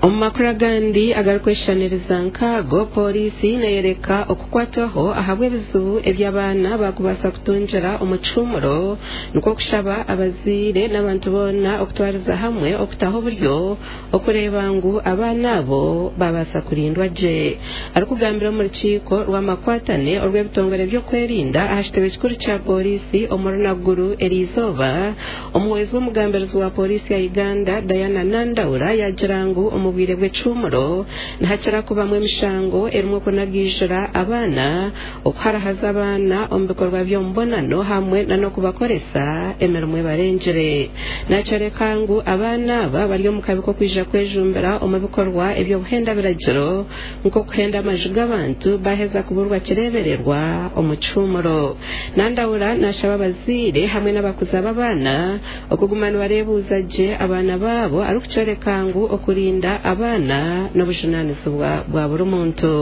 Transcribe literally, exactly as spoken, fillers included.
Omu makuru agandi agarikweshushaniriza nk'ago, pooriisi neeyoreka okukwatwaho ahabw'ebizibu eby'abaana bakubaasa kutungira omu kihumuro, nikwo kushaba abazaire n'abantu boona okutwariza hamwe okutaho oburyo okureeba ngu abaana abo babaasa kurindwa gye. Arikugambira omu rukiiko rw'amakwatane orw'ebitongore by'okwerinda aha kitebe kikuru kya pooriisi omuri Naguru eriizooba, omuhwezi w'omugambirizi wa pooriisi ya Uganda Diana Nandawula yaagira ngu omu bwire bw'ekihumuro nihakira kubamu emishango erimu okunagiijura abaana, okuharahaza abaana omu bikorwa by'omubonano hamwe n'okubakoresa emirimo ebarengire. Nakyoreka ngu abaana aba bari omu kabi k'okwija kwejumbira omu bikorwa eby'obuhenda biragiro nk'okuhenda amaju g'abantu baheza kuburwa kireebererwa omu kihumuro. Nandawula nashaba abazaire hamwe n'abakuza b'abaana okuguma nibareebuuza gye abaana baabo, arikukyoreka ngu okurinda abaana n'obujunaanizibwa bwa buri muntu.